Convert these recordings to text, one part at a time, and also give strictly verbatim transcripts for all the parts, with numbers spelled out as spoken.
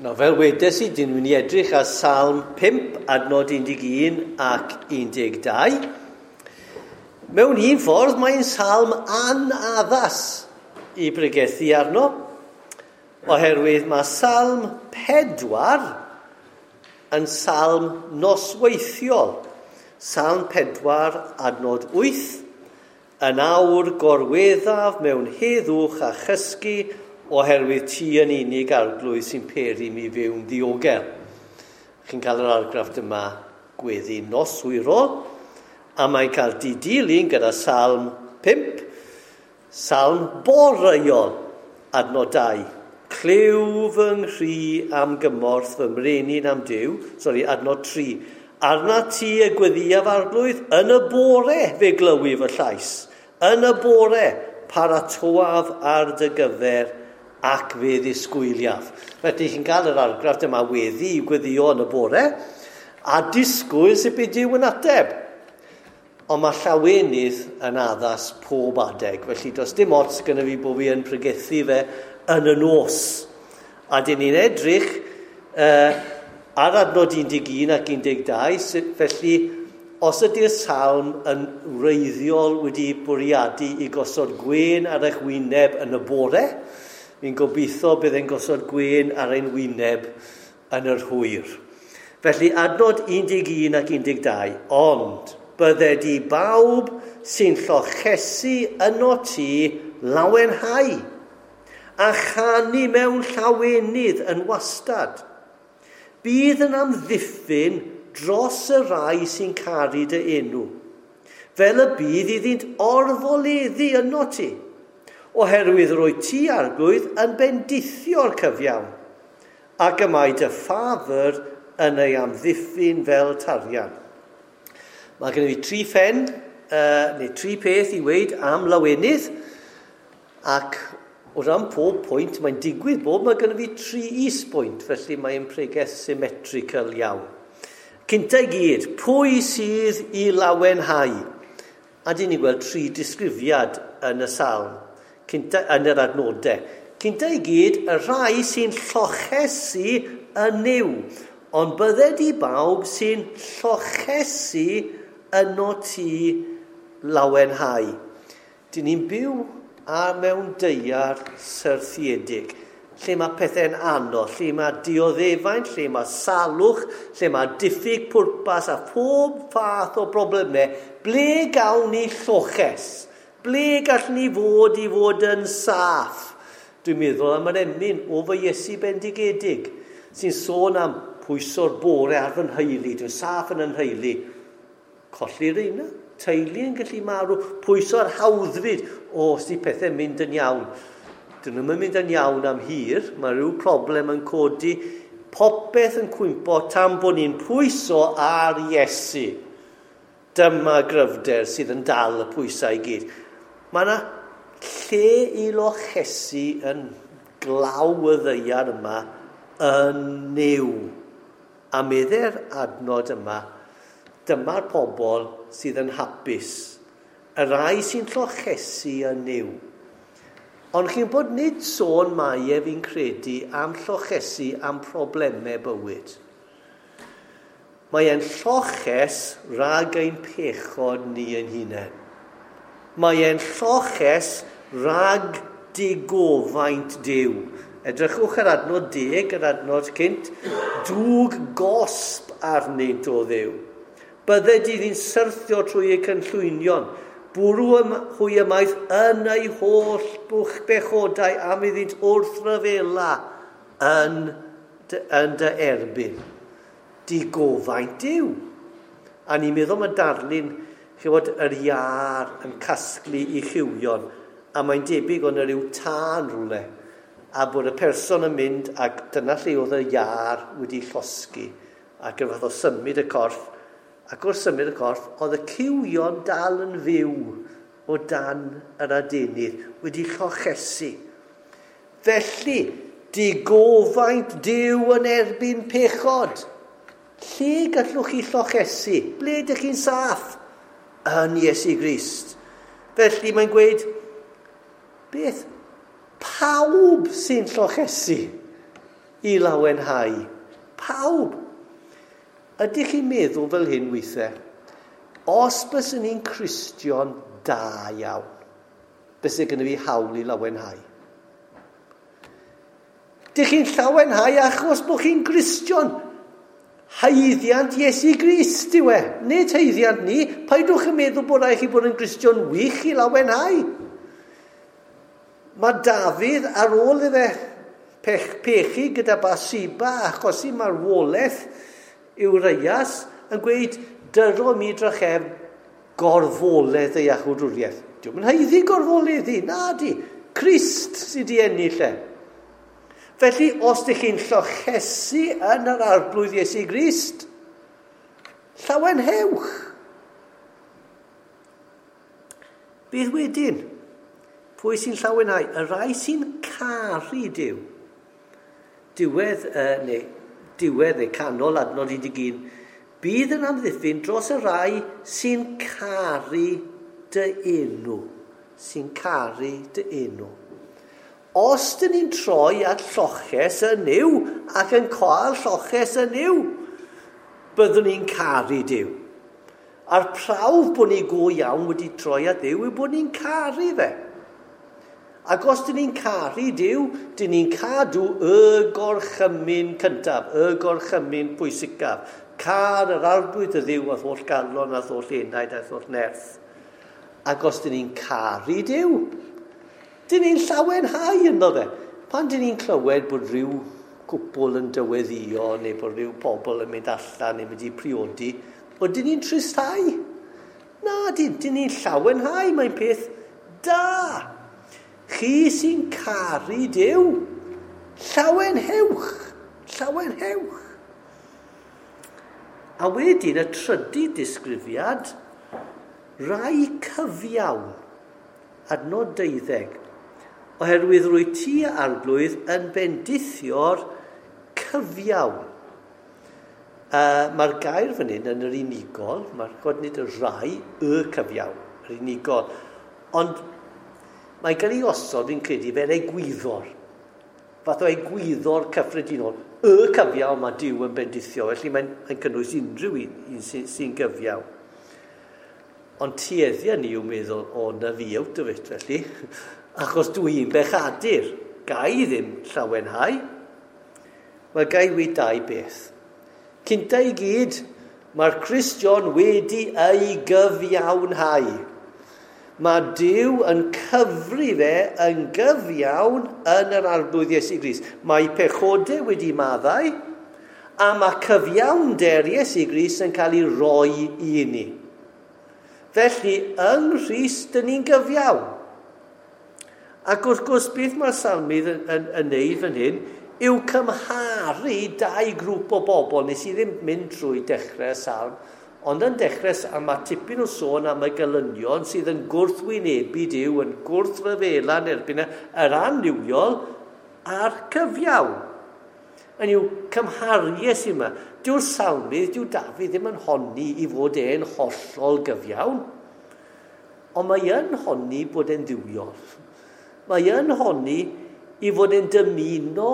No, fel wedes i, dyn nhw'n edrych ar Salm pump, adnod un deg un ac un deg dau. Mewn un ffordd, mae'n salm anaddas i bregethu arno, oherwydd mae Salm pedwar yn salm nosweithiol. Salm pedwar, adnod wyth, yn awr gorweddaf mewn heddwch a chysgu, oherwydd ti yn unig arglwydd sy'n peri mi fyw'n ddiogel. Chi'n cael yr argraff yma gweddi noswyrol, a mae'n cael didilyn gyda Salm pump, Salm boreuol, adnod dau. Clyw fy nghri am gymorth fy mrenin am Duw, sori, adnod tri. Arna ti y gweddiaf arglwydd, yn y bore fe glywi fy llais. Yn y bore paratoaf ar dy gyfer ac fe ddisgwyliaf. Felly chi'n cael yr argraff dyma weddi i gweddio yn y bore, a disgwyl sut bydd Duw yn ateb. Ond mae llawenydd yn addas pob adeg, felly does dim ots gyda fi bod fi yn pregethu fe yn y nos. A dyn ni'n edrych uh, ar adnod un deg un ac un deg dau, felly os ydy'r salm yn wreiddiol wedi bwriadu i gosod gwên ar eich wyneb yn y bore, fi'n gobeithio bydd e'n gosod gwên ar ein wyneb yn yr hwyr. Felly adnod un deg un ac un deg dau, ond bydded i bawb sy'n llochesu yno ti lawenhau a chanu mewn llawenydd yn wastad. Bydd yn amddiffyn dros y rai sy'n caru dy enw, fel y bydd iddynt orfoleddu yno ti, oherwydd rwy ti arglwydd yn bendithio'r cyfiawn, ac y mae dy ffafr yn ei amddiffyn fel tarian. Mae gen i tri phen, uh, neu tri peth i weud am lawenydd, ac o ran pob pwynt, mae'n digwydd bod mae gen i fi tri is-bwynt, felly mae'n pregeth symmetrical iawn. Cynta i gyd, pwy sydd i lawenhau? A dyn ni'n gweld tri disgrifiad yn y salm, cynta, yn yr adnodau. Cynta i gyd, y rhai sy'n llochesu yn Nuw, ond bydded i bawb sy'n llochesu yno ti lawenhau. Dyn ni'n byw a mewn daear syrthiedig, lle mae pethau'n anodd, lle mae dioddefaint, lle mae salwch, lle mae diffyg pwrpas a phob fath o broblemau. Ble gawn ni lloches? Ble gallwn ni fod i fod yn saff? Dwi'n meddwl am yr emyn o fy Iesu bendigedig, sy'n sôn am pwyso'r bore ar fy nheulu. Dwi'n saff yn yn nheulu. Colli'r reina, teulu yn gallu marw, pwyso'r hawddfyd. O, os di pethau'n mynd yn iawn. Dyn nhw'n mynd yn iawn am hir, mae rhyw problem yn codi, popeth yn cwympo tan bod ni'n pwyso ar Iesu. Dyma gryfder sydd yn dal y pwysau i gyd. Mae yna lle i lochesu yn glaw y ddaear yma yn Nuw. A medde'r adnod yma, dyma'r pobl sydd yn hapus. Y rai sy'n llochesu yn Nuw. Ond chi'n bod nid sôn mae e fi'n credu am llochesu am problemau bywyd. Mae e'n lloches rhag ein pechod ni ein hunain. Mae e'n lloches rhag digofaint Duw. Edrychwch ar adnod deg, yr adnod cynt, dwg gosb arnynt o Dduw. Bydded iddi'n syrthio trwy eu cynllwynion, bwrw hwy ymaith yn eu holl bwch bechodau am iddynt wrthryfela yn dy, yn dy erbyn. Digofaint Duw. A ni'n meddwl mae darlun, chywod, yr iâr yn casglu i chywion, a mae'n debyg o'n rhyw tân rhywle, a bod y person yn mynd, ac dyna lle oedd y iâr wedi llosgi, ac yn fath o symud y corff, ac wrth symud y corff, oedd y cywion dal yn fyw o dan yr adenydd, wedi llochesu. Felly, digofaint Duw yn erbyn pechod. Lle gallwch chi llochesu? Ble ydych chi'n saff? Yn Iesu Grist. Felly mae'n gweud, beth? Pawb sy'n llochesu. i lawenhau. Pawb. Ydych chi'n meddwl fel hyn weithiau? Os byswn ni'n Cristion da iawn, byswn gynnu fi hawl i lawenhau. Dych chi'n llawenhau achos bod chi'n Gristion. Haeddiant Iesu Grist yw e, nid haeddiant ni. Paidwch yn meddwl bod rhaid chi bod yn Gristion wych i lawenhau. Mae Dafydd ar ôl iddo pech, pechu gyda Bathsheba achosi marwolaeth Urias yn gweud dyro mi drachefn gorfoledd ei iachawdwriaeth. Dio'm yn haeddu gorfoleddu, na di. Crist sydd wedi ennill e. Felly, os ydych chi'n llochesu yn yr Arglwydd Iesu Grist, llawenhewch. Bydd wedyn, pwy sy'n llawenhau? Y rhai sy'n caru Duw. Diwedd, uh, neu, diwedd neu canol adnod un deg un, bydd yn amddiffyn dros y rhai sy'n caru dy enw. Sy'n caru dy enw. Os dyn ni'n troi at lloches yn Nuw ac yn cael lloches yn Nuw, byddwn ni'n caru Duw. A'r prawf bod ni go iawn wedi troi at Dduw yw bod ni'n caru fe. Ac os dyn ni'n caru Duw, dyn ni'n cadw y gorchymyn cyntaf, y gorchymyn pwysicaf. Car yr Arglwydd y Dduw a'th holl galon, a'th holl enaid, a'th holl nerth. Ac os dyn ni'n caru Duw, dyn ni'n llawenhau ynddo fe. Pan dyn ni'n clywed bod rhyw cwpl yn dyweddio neu bod rhyw pobl yn mynd allan neu mynd i priodi, ydyn ni'n tristhau? Na, dyn, dyn ni'n llawenhau, mae'n peth da. Chi sy'n caru Duw, llawenhewch, llawenhewch. A wedyn y trydydd disgrifiad, rai cyfiawn, adnod deuddeg, oherwydd rwy ti Arglwydd yn bendithio'r cyfiawn. Uh, Mae'r gair fan hyn yn yr unigol, mae'r god nid y rai, y cyfiawn, yr unigol. Ond mae'n cael ei osod, fi'n credu, fel egwyddor. Fath o egwyddor cyffredinol. Y cyfiawn mae Duw yn bendithio, felly mae'n mae cynnwys unrhyw un, un sy'n sy gyfiawn. Ond tueddiau ni yw meddwl, o, na fi out of it, felly. Achos dwi'n bechadur. Gai ddim llawenhau. Wel, gai weud dau beth. Cynta i gyd, mae'r Cristion wedi ei gyfiawnhau. Mae Duw yn cyfri fe yn gyfiawn yn yr Arglwydd Iesu Grist. Mae pechodau wedi maddau, a mae cyfiawnder Iesu Grist yn cael ei roi i ni. Felly, yng Nghrist, dyn ni'n gyfiawn. Ac wrth gwrs, beth mae'r salmydd yn, yn, yn neud fan hyn yw cymharu dau grŵp o bobl. Nes i ddim mynd trwy dechrau y salm, ond yn dechrau salm mae tipyn o sôn am y gelynion sydd yn gwrthwynebu Duw, yn gwrthryfela yn erbyn yr annuwiol a'r cyfiawn. Yn yw cymhariaeth yma. Dyw'r salmydd, dyw Dafydd ddim yn honni i fod e'n hollol gyfiawn, ond mae yn honni bod e'n dduwiol. Mae yn honni i fod e'n dymuno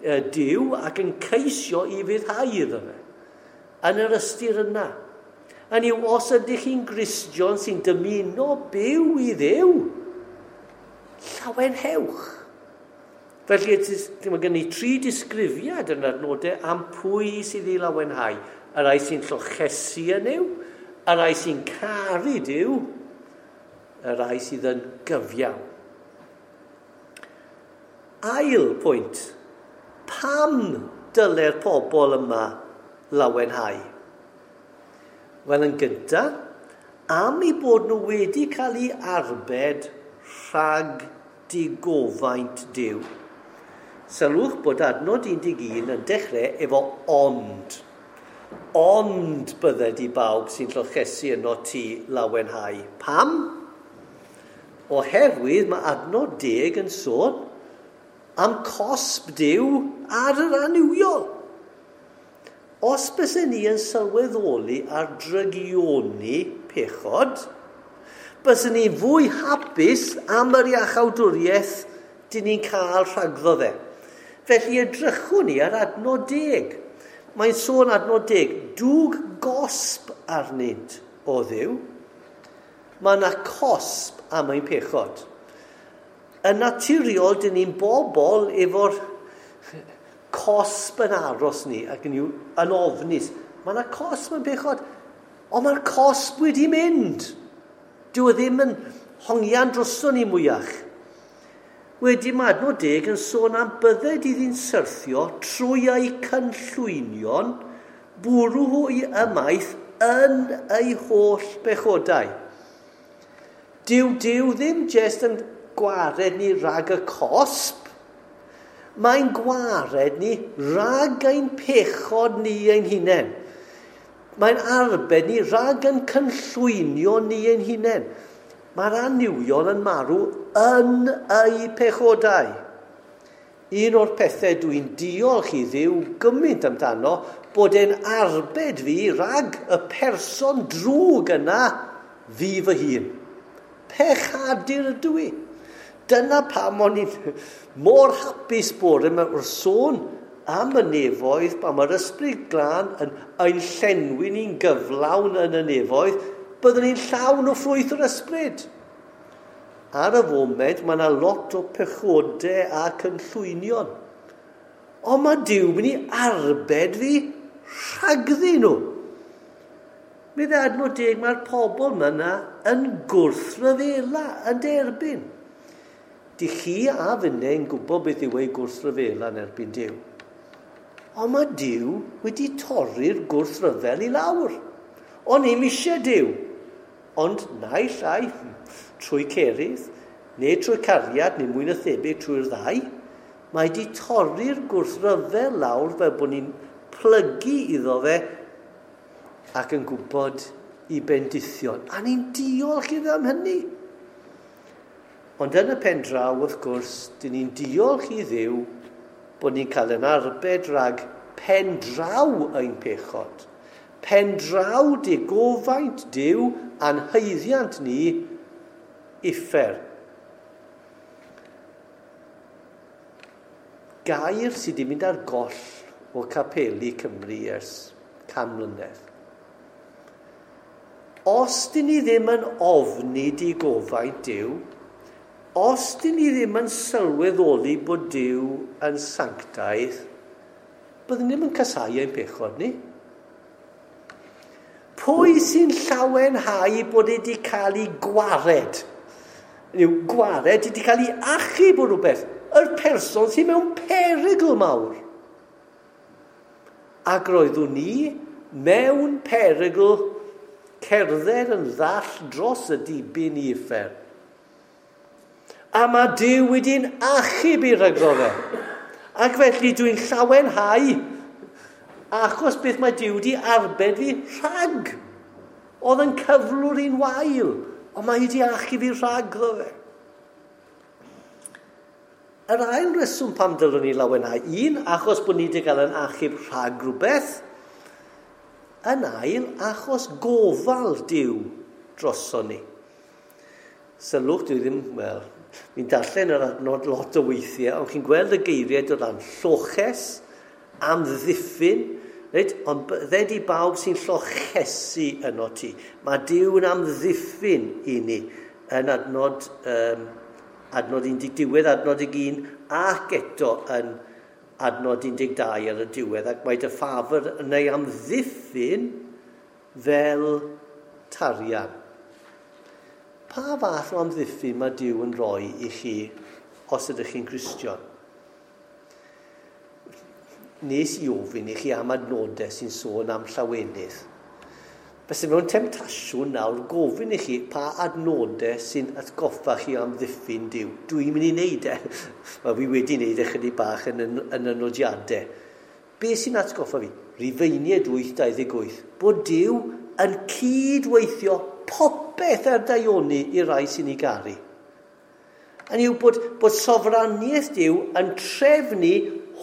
Duw ac yn ceisio i fyddhau iddo fe. Yn yr ystyr yna. Yn yw, os ydych chi'n Gristion sy'n dymuno byw i Dduw, llawenhewch. Felly, mae gen i tri disgrifiad yn adnodau am pwy sydd i lawenhau. Y rhai sy'n llochesu yn Nuw, y rhai sy'n caru Duw, y rhai sydd yn gyfiawn. Ail pwynt, pam dyle'r pobl yma lawenhau? Wel, yn gyntaf, am eu bod nhw wedi cael eu arbed rhag digofaint Duw. Sylwch bod adnod un deg un yn dechrau efo ond. Ond bydded i bawb sy'n llochesu yno ti lawenhau. Pam? Oherwydd mae adnod deg yn sôn am cosb Duw ar yr annuwiol. Os bysen ni yn sylweddoli ar drygioni pechod, bysen ni fwy hapus am yr iachawdwriaeth dyn ni'n cael rhagddo fe. Felly edrychwn ni ar adnod deg. Mae'n sôn adnod deg, dwg gosb arnynt o Dduw. Mae yna cosb am ein pechod. Yn naturiol, dyn ni'n bobl efo'r cosb yn aros ni ac yn, yn ofnus. Mae yna cosb yn pechod, ond mae'r cosb wedi mynd. Dyw e ddim yn hongian droson ni mwyach. Wedi mae adnod deg yn sôn am bydded iddi'n syrthio trwy eu cynllwynion, bwrw hwy ymaith yn eu holl bechodau. Dyw Duw ddim jest yn gwared ni rhag y cosb, mae'n gwared ni rhag ein pechod ni ein hunain. Mae'n arbed ni rhag yn cynllwynio ni ein hunain. Mae'r annuwiol yn marw yn eu pechodau. Un o'r pethau dwi'n diolch i Dduw gymaint amdano bod e'n arbed fi rhag y person drwg yna fi fy hun. Pechadur ydw i. Dyna pam o'n i'n mor hapus bore yma wrth sôn am y nefoedd, pan mae'r Ysbryd Glân yn ein llenwi ni'n gyflawn yn y nefoedd, byddwn ni'n llawn o ffrwyth yr ysbryd. Ar y foment, mae yna lot o pechodau a cynllwynion. Ond mae Duw mynd i arbed fi rhagddyn nhw. Meddai adnod deg, mae'r pobl yma yn gwrthryfela, yn derbyn. Dych chi a finne yn gwybod beth yw ei gwrthryfela yn erbyn Duw. Ond mae Duw wedi torri'r gwrthryfel i lawr. O'n i'm eisiau Duw. Ond naill ai trwy cerydd, neu trwy cariad, neu mwy na thebyg trwy'r ddau, mae wedi torri'r gwrthryfel lawr fel bod ni'n plygu iddo fe ac yn gwybod i bendithion. A ni'n diolch iddo am hynny. Ond yn y pen draw, wrth gwrs, dyn ni'n diolch i Dduw bod ni'n cael yn arbed rhag pen draw ein pechod. Pen draw digofaint Duw a'n haeddiant ni uffern. Gair sydd wedi mynd ar goll o capeli Cymru ers can mlynedd. Os dyn ni ddim yn ofni digofaint Duw, os dyn ni ddim yn sylweddoli bod Duw yn sanctaidd, byddwn ni ddim yn casáu ein pechod ni. Pwy sy'n llawenhau bod e wedi cael ei gwared? Yw gwared wedi cael ei achub o rhywbeth. Yr person sy'n mewn perygl mawr. Ac roeddwn ni mewn perygl cerdded yn ddall dros y dibyn i uffern. A mae Duw wedi'n achub i rhagddo fe. Ac felly dwi'n llawenhau achos beth mae Duw wedi arbed fi rhag. Oedd yn cyflwr i'n wael, ond mae wedi achub fi rhagddo fe. Yr ail reswm pam dylwn ni lawenhau, un, achos bod ni wedi cael yn achub rhag rhywbeth. Yn ail, achos gofal Duw droson ni. Sylwch, dwi ddim, wel, fi'n darllen yr adnod lot o weithiau, ond chi'n gweld y geiriau dod lan lloches, amddiffyn, reit? Ond bydded i bawb sy'n llochesu yno ti. Mae Duw yn amddiffyn i ni yn adnod, um, adnod un deg diwedd, adnod un ac eto yn adnod un deg dau ar y diwedd, ac mae dy ffafr yn ei amddiffyn fel tarian. Pa fath o amddiffyn mae Duw yn rhoi i chi os ydych chi'n Gristion? Nes i ofyn i chi am adnodau sy'n sôn am llawenydd. Felly mewn temtasiwn nawr gofyn i chi pa adnodau sy'n atgoffa chi am ddiffyn Duw. Dwi'n mynd i wneud e. Mae fi wedi wneud e chydig bach yn, yn, yn y nodiadau. Be sy'n atgoffa fi? Rufeiniaid wyth dau ddeg wyth. Bod Duw yn cydweithio popeth ar daioni i rai sy'n ei garu. Hynny yw bod, bod sofraniaeth Duw yn trefnu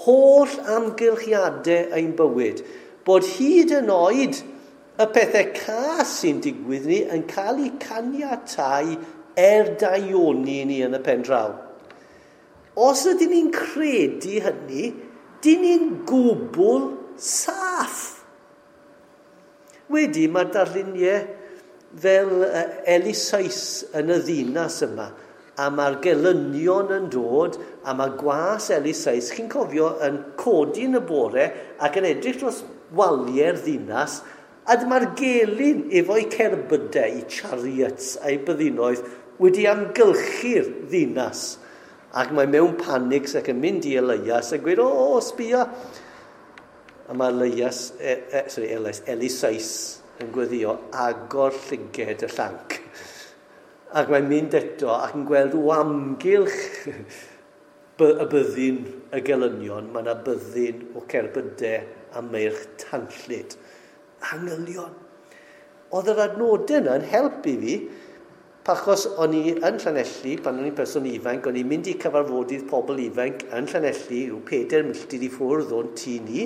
holl amgylchiadau ein bywyd. Bod hyd yn oed y pethau cas sy'n digwydd ni yn cael eu caniatáu er daioni ni yn y pen draw. Os ydyn ni'n credu hynny, dyn ni'n gwbl saff. Wedi, mae'r darluniau fel Elisais yn y ddinas yma, a mae'r gelynion yn dod, a mae gwas Elisais, chi'n cofio, yn codi yn y bore ac yn edrych dros waliau'r ddinas, a dyma'r gelyn efo'i cerbydau, ei chariots a'i byddinoedd wedi amgylchu'r ddinas. Ac mae mewn panics ac yn mynd i Elias a gweud, o, o, sbia. A mae Elias, e, e, sorry, Elias, Elisais yn gweddio agor llyged y llanc. Ac mae'n mynd eto ac yn gweld o amgylch y byddin y gelynion, mae yna byddin o cerbydau a meirch tanllyd. Angylion. Oedd yr adnodau yna yn helpu fi, achos o'n i yn Llanelli, pan o'n i'n person ifanc, o'n i'n mynd i cyfarfodydd pobl ifanc yn Llanelli, rhyw pedair milltir i ffwrdd o'n tŷ ni,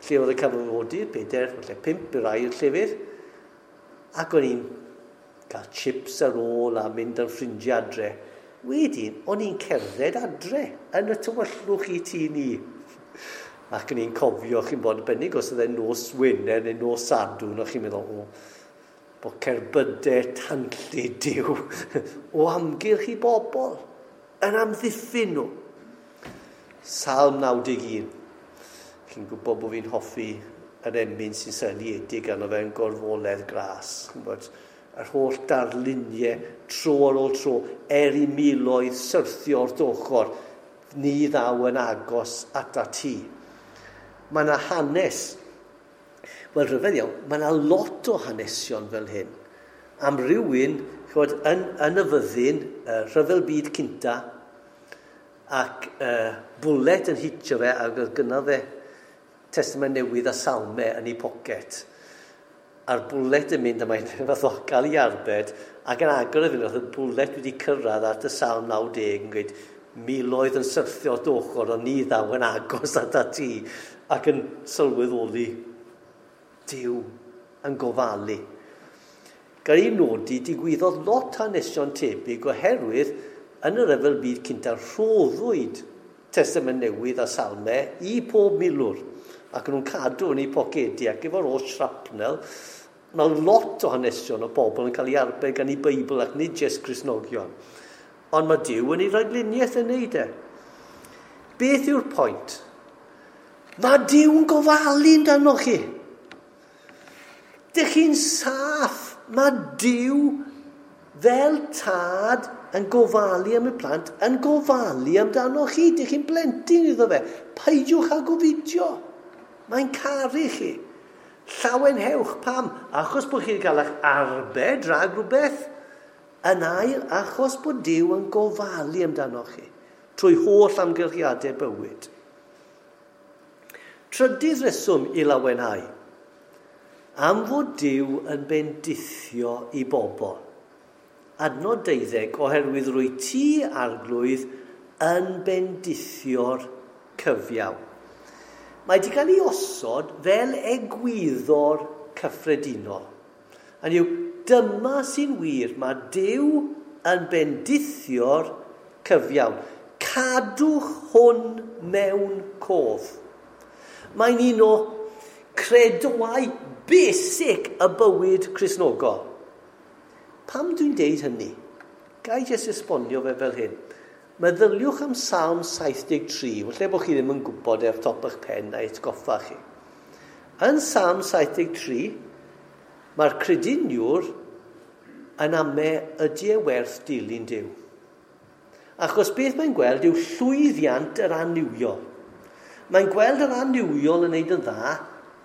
lle oedd y cyfarfodydd, pedair, falle pump i rai o'r llefydd, ac o'n i'n cael chips ar ôl a mynd ar ffrindiau adre. Wedyn, o'n i'n cerdded adre yn y tywyllwch i tŷ ni. Ac o'n i'n cofio, chi'n bod yn bennig os oedd e'n nos Wener neu nos Sadwrn, o'ch chi'n meddwl, o, bod cerbydau tanllyd Duw o amgylch i bobl yn amddiffyn nhw. Salm naw deg un. Chi'n gwybod bod fi'n hoffi yr emyn sy'n seiliedig arno fe yn gorfoledd gras. Chi'n gwybod, yr holl darluniau tro ar ôl tro, er i miloedd syrthio o'r ochr, ni ddaw yn agos ata ti. Mae yna hanes. Wel, rhyfedd iawn, mae yna lot o hanesion fel hyn. Am rywun, ch'mod, yn, yn y fyddin, uh, rhyfel byd cynta, ac uh, bwlet yn hitio fe, ac oedd gynno fe Testament Newydd a Salmau yn ei pocet. A'r bwlet yn mynd, a mae'n fath o gael ei arbed, ac yn agor y fynd, oedd y bwlet wedi cyrraedd at y Salm naw deg yn gweud, miloedd yn syrthio at ochr, ond ni ddaw yn agos at ti, ac yn sylweddoli Duw yn gofalu. Gael ei nodi, digwyddodd lot hanesion tebyg oherwydd yn y rhyfel byd cynta rhoddwyd Testament Newydd a Salmau i pob milwr, ac nhw'n cadw yn eu pocedi, ac efo'r oll shrapnel, mae lot o hanesion o bobl yn cael ei arbed gan ei Beibl ac nid jyst Cristnogion. Ond mae Duw yn ei ragluniaeth yn neud e. Beth yw'r pwynt? Mae Duw yn gofalu amdanoch chi. Dych chi'n saff. Mae Duw fel tad yn gofalu am y plant, yn gofalu amdanoch chi. Dych chi'n blentyn iddo fe. Peidiwch â gofidio. Mae'n caru chi. Llawenhewch. Pam? Achos bod chi'n cael eich arbed rhag rhywbeth. Yn ail, achos bod Duw yn gofalu amdanoch chi trwy holl amgylchiadau bywyd. Trydydd reswm i lawenhau. Am fod Duw yn bendithio i bobl. Adnod deuddeg, oherwydd rwy ti, Arglwydd, yn bendithio'r cyfiawn. Mae wedi cael ei osod fel egwyddor cyffredinol. Hynny yw, dyma sy'n wir, mae Duw yn bendithio'r cyfiawn. Cadwch hwn mewn cof. Mae'n un o credoau basic y bywyd Cristnogol. Pam dwi'n deud hynny? Ga i jyst esbonio fe fel hyn. Meddyliwch am Salm saith deg tri, falle bod chi ddim yn gwybod ar top eich pen a'i atgoffa chi. Yn Salm saith deg tri, mae'r crediniwr yn ame ydy e werth dilyn Duw. Achos beth mae'n gweld yw llwyddiant yr annuwiol. Mae'n gweld yr annuwiol yn neud yn dda,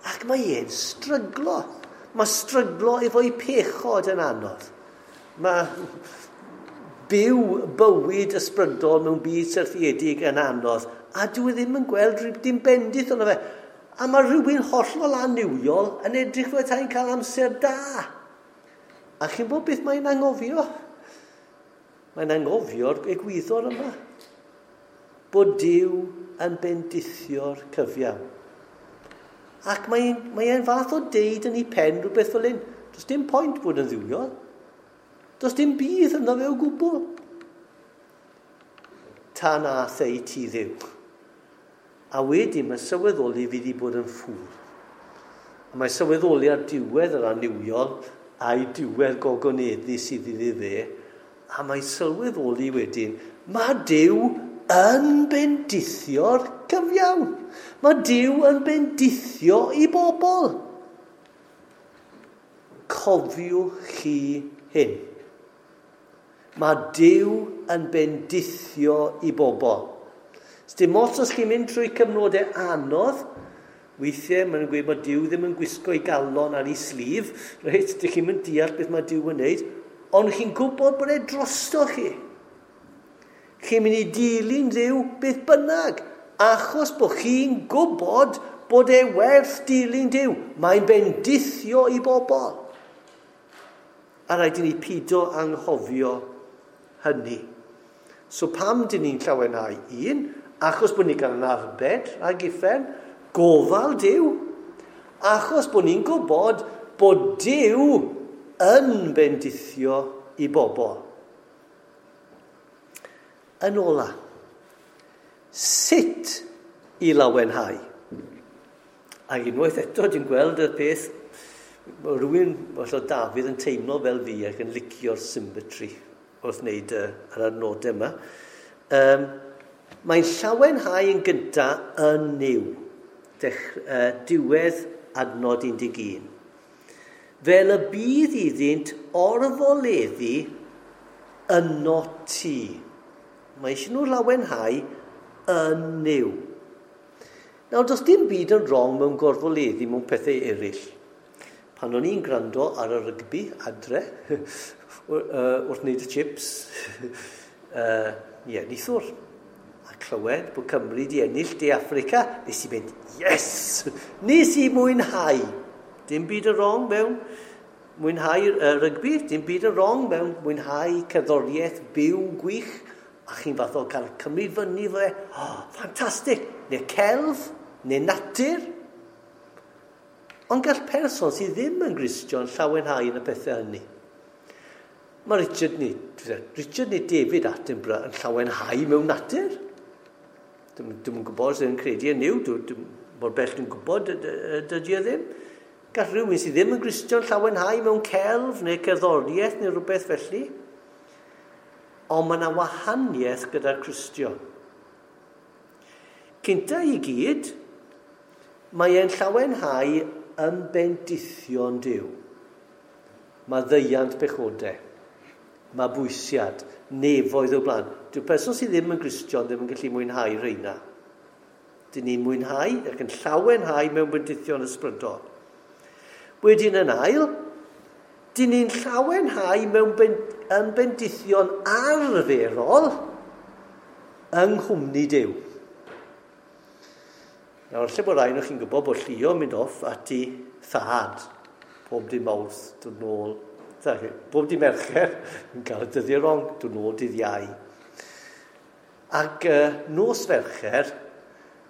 ac mae e'n stryglo. Mae stryglo efo'i pechod yn anodd. Mae byw bywyd ysbrydol mewn byd syrthiedig yn anodd, a dwi e ddim yn gweld rhyw dim bendith ono fe. A mae rhywun hollol annuwiol yn edrych fel tai'n cael amser da. A chi'n bod beth mae'n anghofio? Mae'n anghofio'r egwyddor yma. Bod Duw yn bendithio'r cyfiawn. Ac mae'n mae e'n fath o deud yn ei pen rhywbeth fel hyn. Does dim pwynt bod yn dduwiol. Does dim bydd ynddo fe o gwbl. Tan ath ei ti Dduw. A wedyn mae sylweddoli fi wedi bod yn ffŵl. A mae sylweddoli ar diwedd yr annuwiol a'i diwedd gogoneddu sydd iddi fe. A mae sylweddoli wedyn, mae Duw yn bendithio'r cyfiawn. Mae Duw yn bendithio i bobl. Cofiwch chi hyn. Mae Duw yn bendithio i bobl. Dim ots os chi'n mynd trwy cyfnodau anodd, weithiau maen nhw'n gweud bod Duw ddim yn gwisgo ei galon ar ei sleeve, reit, dych chi'n mynd deall beth mae Duw yn wneud, ond chi'n gwybod bod e drosto chi. Chi'n mynd i dilyn Dduw beth bynnag, achos bod chi'n gwybod bod e werth dilyn Duw. Mae'n bendithio i bobl. A rhaid i ni pido anghofio hynny. So pam dyn ni'n llawenhau? Un, achos bod ni'n cael yn arbed rhag uffern, gofal Duw. Achos bod ni'n gwybod bod Duw yn bendithio i bobl. Yn ola, sut i lawenhau? Ac unwaith eto, dwi'n gweld y peth, rhywun, falle Dafydd yn teimlo fel fi ac yn licio'r symmetry wrth wneud yr adnodau yma. Um, mae'n llawenhau yn gyntaf yn Nuw, Dech, uh, diwedd adnod un deg un. Fel y bydd iddynt orfoleddu yno ti. Mae eisiau nhw lawenhau yn Nuw. Nawr, does dim byd yn wrong mewn gorfoleddu mewn pethau eraill. Pan o'n i'n gwrando ar y rygbi adre, wrth wneud y chips, uh, ie, neithiwr. A clywed bod Cymru di ennill De Affrica, nes i mynd, yes! Nes i mwynhau. Dim byd yn wrong mewn mwynhau uh, rygbi, dim byd yn wrong mewn mwynhau cerddoriaeth byw gwych, a chi'n fath o cael cymryd fyny fe, oh, ffantastig! Neu celf, neu natur. Ond gall person sydd ddim yn Gristion llawenhau yn y pethau hynny. Mae Richard neu, Richard neu David Attenborough yn llawenhau mewn natur. Dwi'm yn gwybod os yn credu yn Nuw, dwi'n mor bell dwi'n gwybod dydy o ddim. Gall rhywun sydd ddim yn Gristion llawenhau mewn celf neu cerddoriaeth neu rhywbeth felly. Ond mae yna wahaniaeth gyda'r Cristion. Cynta i gyd, mae e'n llawenhau yn bendithion Duw. Mae ddeiant pechodau, mae bwysiad, nefoedd o blaen. Dyw'r person sydd ddim yn Gristion ddim yn gallu mwynhau rheina. Dyn ni'n mwynhau ac yn llawenhau mewn bendithion ysbrydol. Wedyn yn ail, dyn ni'n llawenhau mewn ben, yn bendithion arferol yng nghwmni Duw. Nawr, lle bod rhaid chi'n gwybod bod Llio yn mynd off at ei thad pob dydd Mawrth, dod nôl, bob dydd Mercher, yn cael y dyddiau wrong, dod nôl dydd Iau. Ac uh, nos Fercher,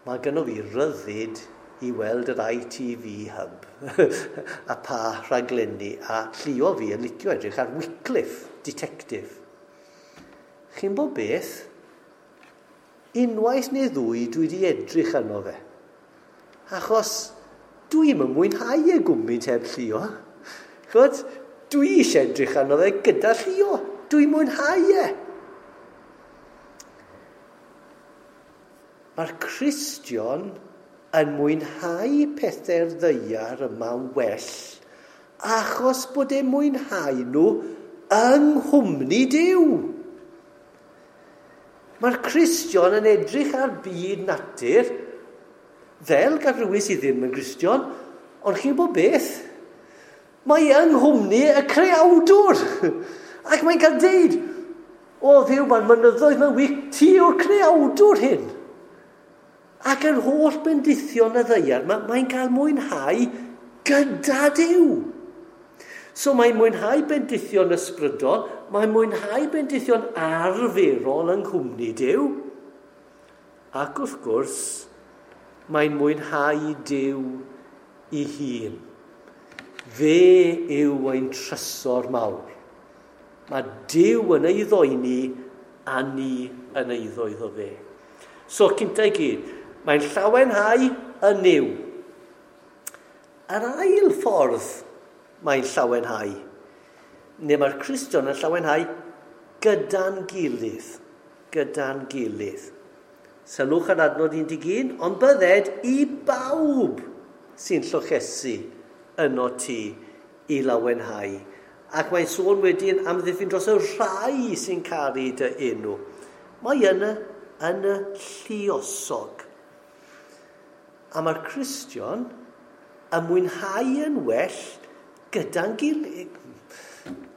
mae gynno fi ryddid i weld yr I T V Hub a pa rhaglenni, a Llio fi yn licio edrych ar Wycliffe, Detective. Chi'n bod beth? Unwaith neu ddwy dwi wedi edrych arno fe. Achos dwi'm yn mwynhau e gwmynt heb Llio. Ch'mod, dwi eisiau edrych arno fe gyda Llio. Dwi'n mwynhau e. Mae'r Cristion yn mwynhau pethau'r ddaear yma'n well achos bod e'n mwynhau nhw yng nghwmni Duw. Mae'r Cristion yn edrych ar byd natur fel gall rhywun sydd ddim yn Gristion, ond chi'n bod beth? Mae yng nghwmni y creawdwr. Ac mae'n cael deud, o Dduw, mae'r mynyddoedd mae'n wych, ti yw'r creawdwr hyn. Ac yr holl bendithion y ddaear, mae, mae'n cael mwynhau gyda Duw. So mae'n mwynhau bendithion ysbrydol, mae'n mwynhau bendithion arferol yng nghwmni Duw. Ac wrth gwrs, mae'n mwynhau Duw ei hun. Fe yw ein trysor mawr. Mae Duw yn ei ddoeni a ni yn eiddo iddo fe. So, cynta i gyd, mae'n llawenhau yn Nuw. Yr ail ffordd mae'n llawenhau, neu mae'r Cristion yn llawenhau gyda'n gilydd. Gyda'n gilydd. Sylwch ar adnod un deg un, ond bydded i bawb sy'n llochesu yno ti i lawenhau. Ac mae'n sôn wedyn am ddiffyn dros y rhai sy'n caru dy enw. Mae yn y, yn y lluosog. A mae'r Cristion yn mwynhau yn well gyda'n gilydd.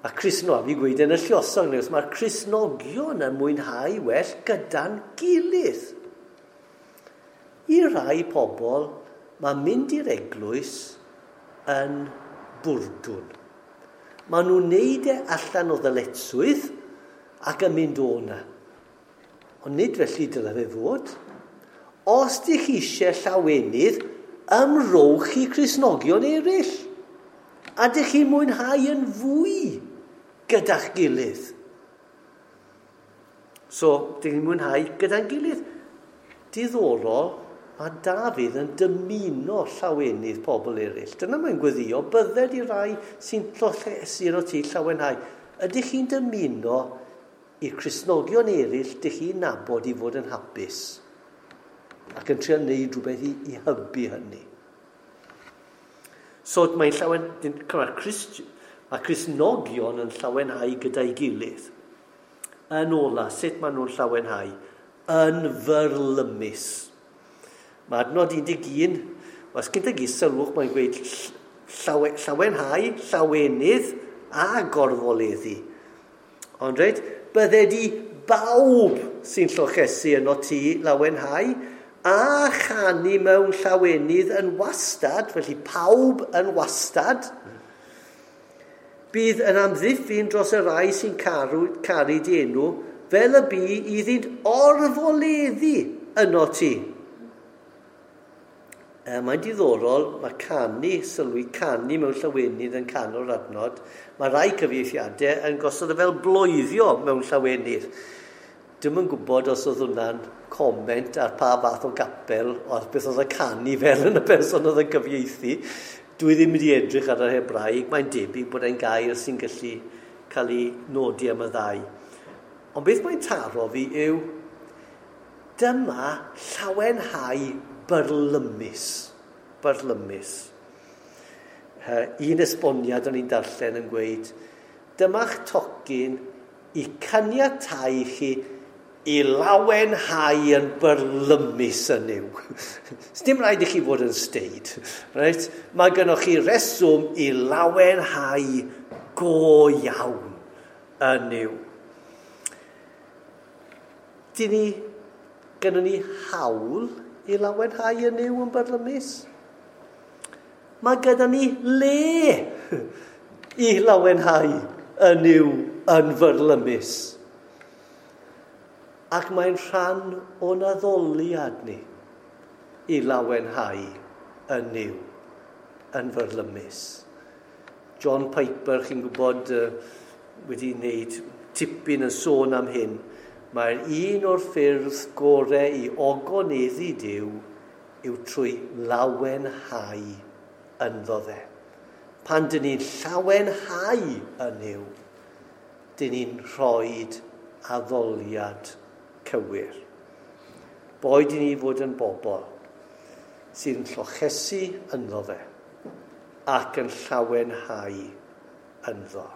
A Crisno, fi gweud yn y lluosog, neu mae'r Cristnogion yn mwynhau well gyda'n gilydd. I rai pobl, mae mynd i'r eglwys yn bwrdwn. Maen nhw'n neud e allan o ddyletswydd ac yn mynd o na. Ond nid felly dyle fe fod. Os dych chi eisiau llawenydd, ymrowch i Cristnogion eraill. A dych chi'n mwynhau yn fwy gyda'ch gilydd. So, dych chi'n mwynhau gyda'n gilydd. Diddorol, mae Dafydd yn dymuno llawenydd pobl eraill. Dyna mae'n gweddio, bydded i rai sy'n llochesu o ti llawenhau. Ydych chi'n dymuno i'r Cristnogion eraill dych chi'n nabod i fod yn hapus? Ac yn trio wneud rhywbeth i, i hybu hynny. So mae'n llawen... Mae'r Christ, mae Cristnogion yn llawenhau gyda'i gilydd. Yn ola, sut maen nhw'n llawenhau? Yn fyrlymus. Mae adnod un deg un, os gyda gi sylwch, mae'n gweud llawe, llawenhau, llawenydd a gorfoleddu. Ond reit, bydded i bawb sy'n llochesu yno ti lawenhau a chanu mewn llawenydd yn wastad, felly pawb yn wastad, bydd yn amddiffyn dros y rai sy'n caru, caru di enw, fel y bu iddynt orfoleddu yno ti. E, mae'n diddorol, mae canu, sylwi canu mewn llawenydd yn canol adnod. Mae rai cyfieithiadau yn gosod e fel bloeddio mewn llawenydd. Dwi'm yn gwybod os oedd hwnna'n comment ar pa fath o gapel, o beth oedd y canu fel yn y person oedd yn cyfieithu. Dwi ddim wedi edrych ar yr Hebraeg, mae'n debyg bod e'n gair sy'n gallu cael ei nodi am y ddau. Ond beth mae'n taro fi yw, dyma llawenhau byrlymus. Byrlymus. Un esboniad o'n i'n darllen yn gweud, dyma'ch tocyn i caniatáu chi i lawenhau yn byrlymus yn yw. Dim rhaid i chi fod yn steid. Right? Mae gennych chi reswm i lawenhau go iawn yn yw. Dyn ni, gynnon ni hawl i lawenhau yn yw yn byrlymus? Mae gyda ni le i lawenhau yn yw yn fyrlymus. Ac mae'n rhan o'n addoliad ni i lawenhau yn yw yn fyrlymus. John Piper, chi'n gwybod, wedi wneud tipyn yn sôn am hyn. Mae'r un o'r ffyrdd gorau i ogoneddu Duw yw trwy lawenhau ynddo fe. Pan dyn ni'n llawenhau yn yw, dyn ni'n rhoi addoliad cywir. Boed i ni fod yn bobl sydd yn llochesu ynddo fe ac yn llawenhau ynddo.